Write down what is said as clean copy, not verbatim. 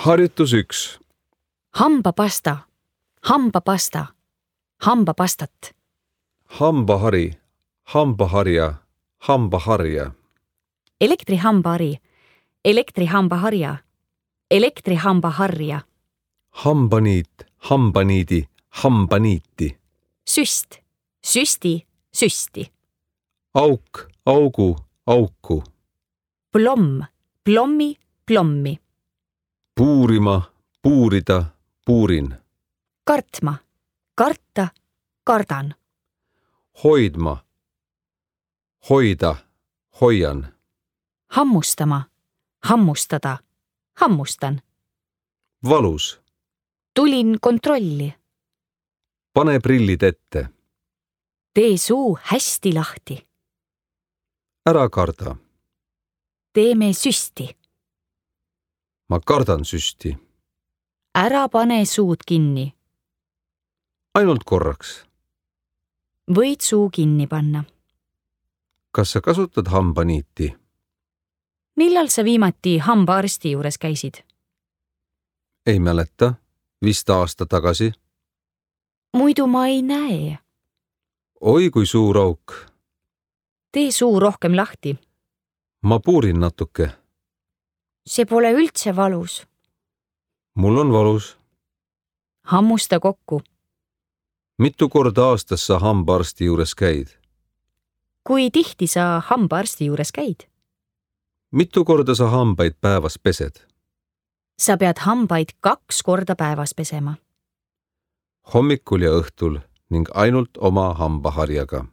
Harjutus 1. Hambapasta, hambapasta, hambapastat. Hambahari, hambaharja, hambaharja. Elektrihambahari, elektrihambaharja, elektrihambaharja. Hambaniit, hambaniidi, hambaniiti. Süst, süsti, süsti. Auk, augu, auku. Plomm, plommi, plommi. Puurima, puurida, puurin. Kartma, karta, kardan. Hoidma, hoida, hoian. Hammustama, hammustada, hammustan. Valus. Tulin kontrolli. Pane prillid ette. Tee suu hästi lahti. Ära karda. Teeme süsti. Ma kardan süsti. Ära pane suud kinni. Ainult korraks. Võid suu kinni panna. Kas sa kasutad hambaniiti? Millal sa viimati hambaarsti juures käisid? Ei mäleta. Vist aasta tagasi. Muidu ma ei näe. Oi kui suur auk. Tee suu rohkem lahti. Ma puurin natuke. See pole üldse valus. Mul on valus. Hammusta kokku. Mitu korda aastas sa hambaarsti juures käid? Kui tihti sa hambaarsti juures käid? Mitu korda sa hambaid päevas pesed? Sa pead hambaid 2 korda päevas pesema. Hommikul ja õhtul ning ainult oma hambaharjaga.